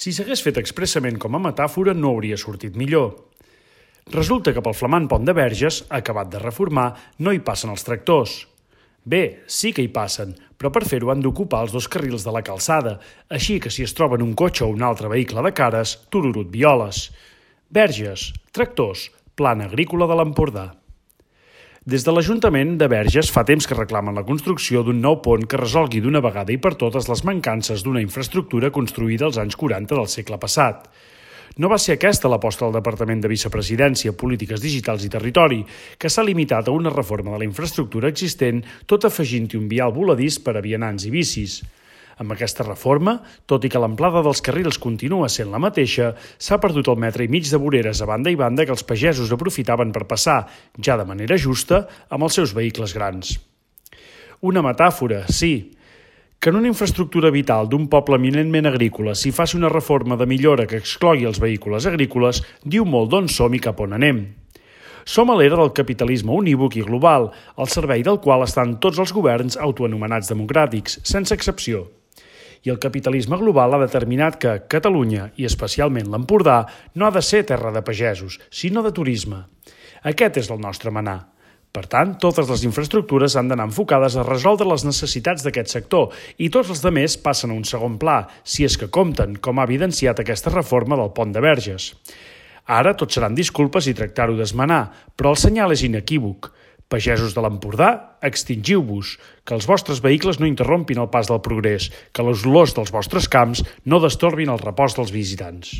Si s'hagués fet expressament com a metàfora, no hauria sortit millor. Resulta que pel flamant pont de Verges, acabat de reformar, no hi passen els tractors. Bé, sí que hi passen, però per fer-ho han d'ocupar els 2 carrils de la calçada, així que si es troben un cotxe o un altre vehicle de cares, tururut violes. Verges, tractors, plana agrícola de l'Empordà. Des de l'Ajuntament de Verges fa temps que reclamen la construcció d'un nou pont que resolgui d'una vegada i per totes les mancances d'una infraestructura construïda als anys 40 del segle passat. No va ser aquesta l'aposta del Departament de Vicepresidència, Polítiques Digitals i Territori, que s'ha limitat a una reforma de la infraestructura existent, tot afegint-hi un vial voladís per a vianants i bicis. Amb aquesta reforma, tot i que l'amplada dels carrils continua sent la mateixa, s'ha perdut el metre i mig de voreres a banda i banda que els pagesos aprofitaven per passar, ja de manera justa, amb els seus vehicles grans. Una metàfora, sí. Que en una infraestructura vital d'un poble eminentment agrícola s'hi faci una reforma de millora que exclogui els vehicles agrícoles diu molt d'on som i cap on anem. Som a l'era del capitalisme unívoc i global, al servei del qual estan tots els governs autoanomenats democràtics, sense excepció. I el capitalisme global ha determinat que Catalunya, i especialment l'Empordà, no ha de ser terra de pagesos, sinó de turisme. Aquest és el nostre manar. Per tant, totes les infraestructures han d'anar enfocades a resoldre les necessitats d'aquest sector i tots els altres passen a un segon pla, si és que compten, com ha evidenciat aquesta reforma del pont de Verges. Ara tot seran disculpes i tractar-ho d'esmenar, però el senyal és inequívoc. Pagesos de l'Empordà, extingiu-vos, que els vostres vehicles no interrompin el pas del progrés, que les olors dels vostres camps no destorbin el repòs dels visitants.